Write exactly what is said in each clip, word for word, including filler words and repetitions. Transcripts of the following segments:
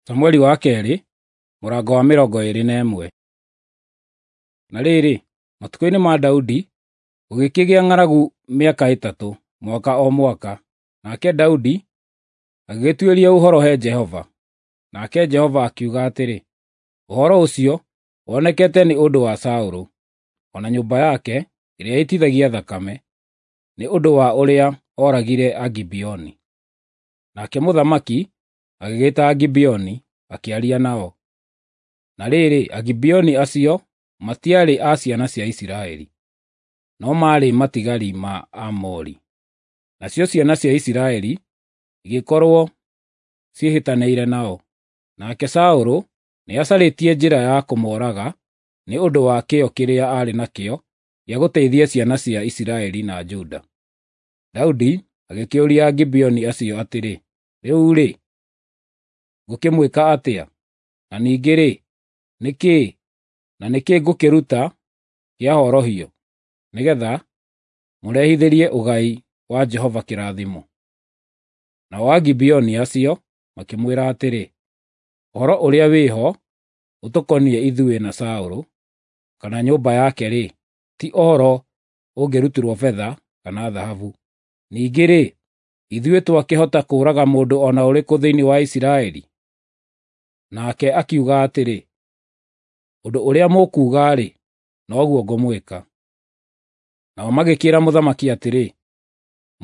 Samueli wa kerĩ mũrango wa mĩrongo ĩĩrĩ na ĩmwe. Na rĩrĩ, matukũ-inĩ ma Daudi gũgĩkĩgĩa ng'aragu mĩaka ĩtatũ, mwaka o mwaka. Nake Daudi agĩgĩtuĩria ũhoro he Jehova. Nake Jehova akiuga atĩrĩ, “Ũhoro ũcio wonekete nĩ ũndũ wa Saũlũ, o na nyũmba yake ĩrĩa ĩitithagia thakame, nĩ ũndũ wa ũrĩa ooragire Agibeoni.” Nake mũthamaki agĩgĩĩta Agibeoni, akĩaria nao. Na rĩrĩ, Agibeoni acio matiarĩ a ciana cia Isiraeli, no maarĩ matigari ma Aamori. Nacio ciana cia Isiraeli igĩkorwo ciĩhĩtanĩire nao. Nake Saũlũ nĩacarĩtie njĩra ya kũmooraga nĩ ũndũ wa kĩyo kĩrĩa aarĩ nakĩo gĩa gũteithia ciana cia Isiraeli na Juda. Daudi agĩkĩũria Agibeoni acio atĩrĩ, “Rĩu-rĩ, ngũkĩmwĩka atĩa? Na ningĩ-rĩ, nĩ kĩĩ, na nĩ kĩĩ ngũkĩruta kĩa horohio, nĩgeetha mũrehithĩrie ũgai wa Jehova kĩrathimo?” Nao Agibeoni acio makĩmwĩra atĩrĩ, “Ũhoro ũrĩa wĩ ho ũtũkoniĩ ithuĩ na Saũlũ kana nyũmba yake-rĩ, ti ũhoro ũngĩrutĩrwo betha kana thahabu. Ningĩ-rĩ, ithuĩ twakĩhota kũũraga mũndũ o na ũrĩkũ thĩinĩ wa Isiraeli?” Nake akiuga atĩrĩ, “Ũndũ ũrĩa mũkuuga-rĩ, noguo ngũmwĩka.” Nao magĩkĩĩra mũthamaki atĩrĩ,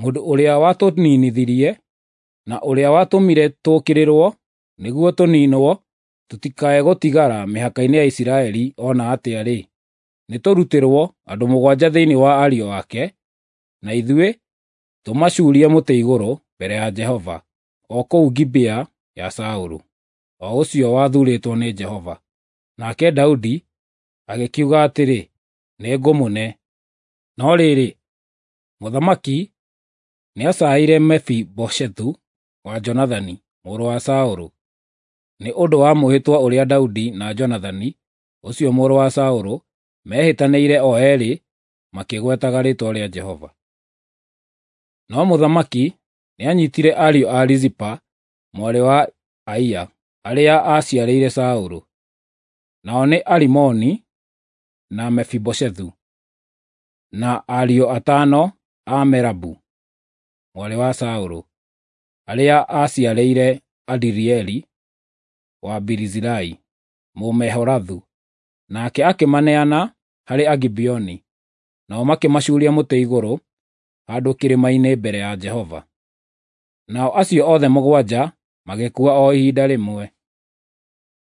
“Mũndũ ũrĩa watũninithirie na ũrĩa watũmire tũũkĩrĩrwo nĩguo tũniinwo tũtikae gũtigara mĩhaka-inĩ ya Isiraeli o na atĩa-rĩ, nĩtũrutĩrwo andũ mũgwanja thĩinĩ wa ariũ ake, na ithuĩ tũmacuurie mũtĩ igũrũ mbere ya Jehova, o kũu Gibea ya Saũlũ, o ũcio wathuurĩtwo nĩ Jehova.” Nake Daudi agĩkiuga atĩrĩ, “Nĩngũmũne.” No rĩrĩ, mũthamaki nĩacaĩire Mefiboshethu wa Jonathani mũrũ wa Saũlũ, nĩ ũndũ wa mwĩhĩtwa ũrĩa Daudi na Jonathani ũcio mũrũ wa Saũlũ meehĩtanĩire o eerĩ makĩgwetaga rĩĩtwa rĩa Jehova. No mũthamaki nĩanyiitire ariũ a Rizipa mwarĩ wa Aia, arĩa aaciarĩire Saũlũ, nao nĩ Arimoni na Mefiboshethu, na ariũ atano a Merabu mwarĩ wa Saũlũ, arĩa aaciarĩire Adirieli wa Barizilai, Mũmeholathu. Nake akĩmaneana harĩ Agibeoni, nao makĩmacuuria mũtĩ igũrũ handũ kĩrĩma-inĩ mbere ya Jehova. Nao acio othe mũgwanja magĩkua o ihinda rĩmwe.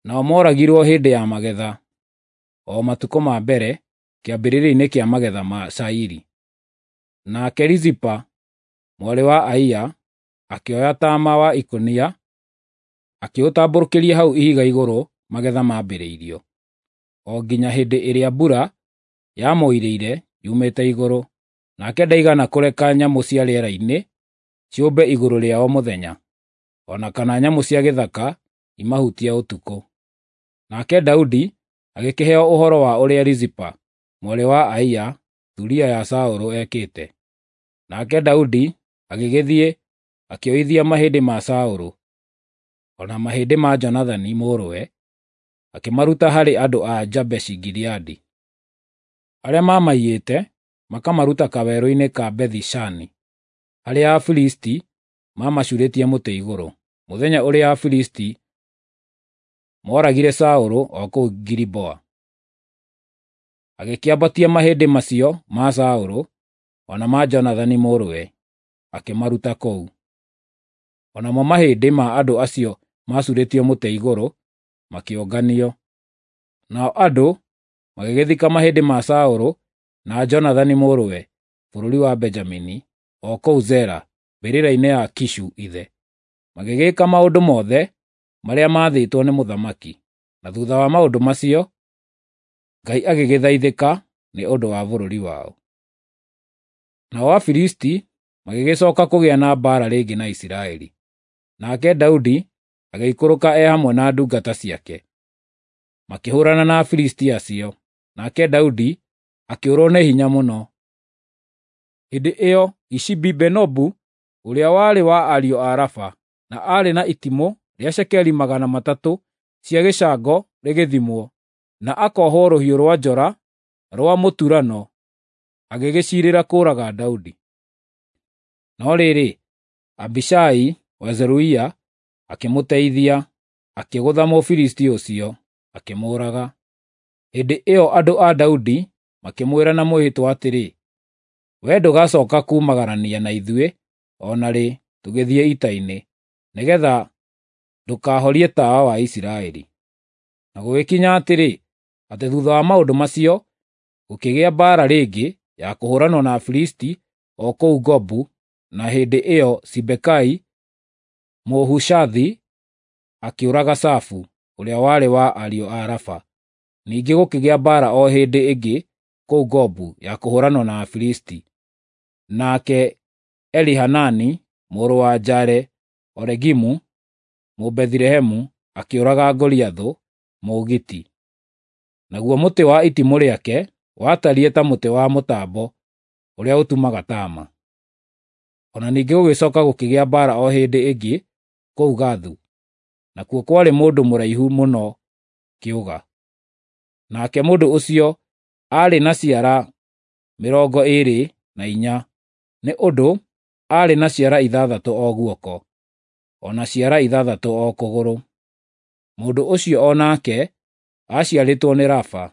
Nao mooragirwo hĩndĩ ya magetha, o matukũ ma mbere, kĩambĩrĩria-inĩ kĩa magetha ma cairi. Nake Rizipa mwarĩ wa Aia akĩoya taama wa ikũnia, akĩũtambũrũkĩria hau ihiga igũrũ magetha mambĩrĩirio, o nginya hĩndĩ ĩrĩa mbura yamoirĩire yumĩte igũrũ. Nake ndaigana kũreka nyamũ cia rĩera-inĩ ciũmbe igũrũ rĩao mũthenya, o na kana nyamũ cia gĩthaka imahutie ũtukũ. Nake Daudi agĩkĩheo ũhoro wa ũrĩa Rizipa mwarĩ wa Aia, thuriya ya Saũlũ, ekĩte. Nake Daudi agĩgĩthiĩ akĩoithia mahĩndĩ ma Saũlũ, o na mahĩndĩ ma Jonathani mũrũwe, akĩmaruta harĩ andũ a Jabeshi-Gileadi, arĩa maamaiyĩte makamaruta kawerũ-inĩ ka Bethi-Shani, harĩa Afilisti maamacuurĩtie mũtĩ igũrũ, mũthenya ũrĩa Afilisti mooragire Saũlũ o kũu Giliboa. Agĩkĩambatia mahĩndĩ macio ma Saũlũ o na ma Jonathani mũrũwe, akĩmaruta kũu. O namo mahĩndĩ ma andũ acio maacuurĩtio mũtĩ igũrũ makĩũnganio. Nao andũ magĩgĩthika mahĩndĩ ma Saũlũ na Jonathani mũrũwe bũrũri wa Benjamini, o kũu Zela, mbĩrĩra-inĩ ya Kishu ithe. Magĩgĩka maũndũ mothe marĩa maathĩtwo nĩ mũthamaki. Na thuutha wa maũndũ macio, Ngai agĩgĩthaithĩka nĩ ũndũ wa bũrũri wao. Nao Afilisti magĩgĩcooka kũgĩa na mbaara rĩngĩ na Isiraeli. Nake Daudi agĩikũrũka e hamwe na ndungata ciake, makĩhũũrana na Afilisti acio. Nake Daudi akĩũrwo nĩ hinya mũno. Hĩndĩ ĩyo Ishibi-Benobu, ũrĩa warĩ wa ariũ a Rafa, na aarĩ na itimũ rĩa cekeri magana matatũ cia gĩcango rĩgĩthimwo, na akohwo rũhiũ rwa njora rwa mũturano, agĩgĩciirĩra kũũraga Daudi. No rĩrĩ, Abishai wa Zeruia akĩmũteithia, akĩgũtha Mũfilisti ũcio, akĩmũũraga. Hĩndĩ ĩyo andũ a Daudi makĩmwĩra na mwĩhĩtwa atĩrĩ, “Wee ndũgacooka kuumagarania na ithuĩ o na rĩ tũgĩthiĩ ita-inĩ, nĩgeetha ndũkahorie tawa wa Isiraeli.” Na gũgĩkinya atĩrĩ, atĩ thuutha wa maũndũ macio, gũkĩgĩa mbaara rĩngĩ ya kũhũũranwo na Afilisti o kũu Gobu, na hĩndĩ ĩyo Sibekai Mũhushathi akĩũraga Safu, ũrĩa warĩ wa ariũ a Rafa. Ningĩ gũkĩgĩa mbaara o hĩndĩ ĩngĩ kũu Gobu ya kũhũũranwo na Afilisti. Nake Elihanani mũrũ wa Jaare-Oregimu Mũbethilehemu akĩũraga Goliathũ Mũgiiti. Naguo mũtĩ wa itimũ rĩake watariĩ ta mũtĩ wa mũtambo ũrĩa ũtumaga taama. O na ningĩ gũgĩcooka gũkĩgĩa mbaara o hĩndĩ ĩngĩ kũu Gathu, nakuo kwarĩ mũndũ mũraihu mũno kĩũga. Nake mũndũ ũcio aarĩ na ciara mĩrongo ĩĩrĩ na inya, nĩ ũndũ aarĩ na ciara ithathatũ o guoko, o na ciara ithathatũ o kũgũrũ. Mũndũ ũcio o nake aaciarĩtwo nĩ Rafa.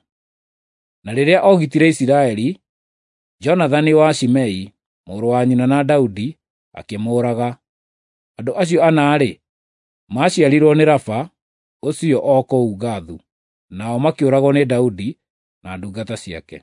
Na rĩrĩa oogitire Isiraeli, Jonathani wa Shimei, mũrũ wa nyina na Daudi, akĩmũũraga. Andũ acio ana-rĩ, maaciarirwo nĩ Rafa ũcio o kũu Gathu, nao makĩũragwo nĩ Daudi na ndungata ciake.